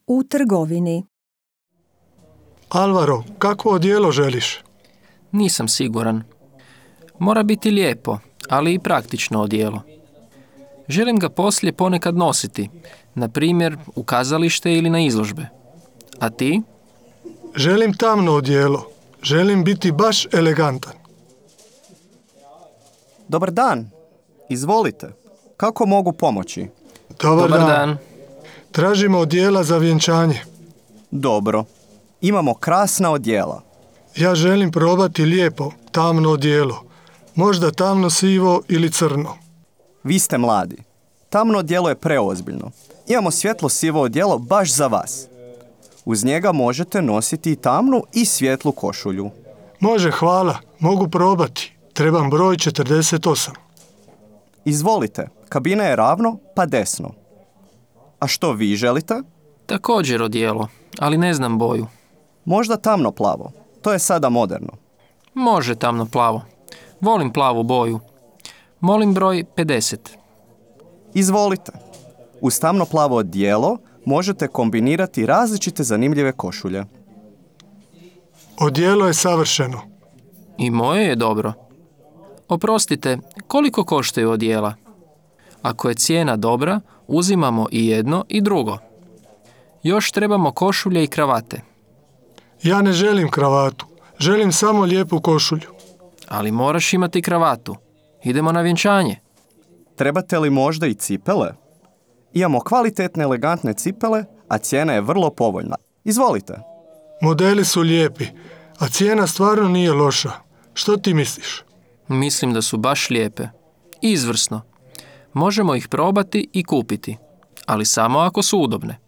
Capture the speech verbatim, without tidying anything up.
U trgovini. Alvaro, kakvo odijelo želiš? Nisam siguran. Mora biti lijepo, ali i praktično odijelo. Želim ga poslije ponekad nositi, na primjer u kazalište ili na izložbe. A ti? Želim tamno odijelo. Želim biti baš elegantan. Dobar dan. Izvolite. Kako mogu pomoći? Dobar, Dobar dan. dan. Tražimo odijela za vjenčanje. Dobro. Imamo krasna odijela. Ja želim probati lijepo, tamno odijelo. Možda tamno sivo ili crno. Vi ste mladi. Tamno odijelo je preozbiljno. Imamo svjetlo sivo odijelo baš za vas. Uz njega možete nositi i tamnu i svjetlu košulju. Može, hvala. Mogu probati. Trebam broj četrdeset osam. Izvolite. Kabina je ravno, pa desno. A što vi želite? Također odijelo, ali ne znam boju. Možda tamno plavo. To je sada moderno. Može tamno plavo. Volim plavu boju. Molim broj pedeset. Izvolite. Uz tamno plavo odijelo možete kombinirati različite zanimljive košulje. Odijelo je savršeno. I moje je dobro. Oprostite, koliko koštaju odijela? Ako je cijena dobra, uzimamo i jedno i drugo. Još trebamo košulje i kravate. Ja ne želim kravatu. Želim samo lijepu košulju. Ali moraš imati kravatu. Idemo na vjenčanje. Trebate li možda i cipele? Imamo kvalitetne, elegantne cipele, a cijena je vrlo povoljna. Izvolite. Modeli su lijepi, a cijena stvarno nije loša. Što ti misliš? Mislim da su baš lijepe. Izvrsno. Možemo ih probati i kupiti, ali samo ako su udobne.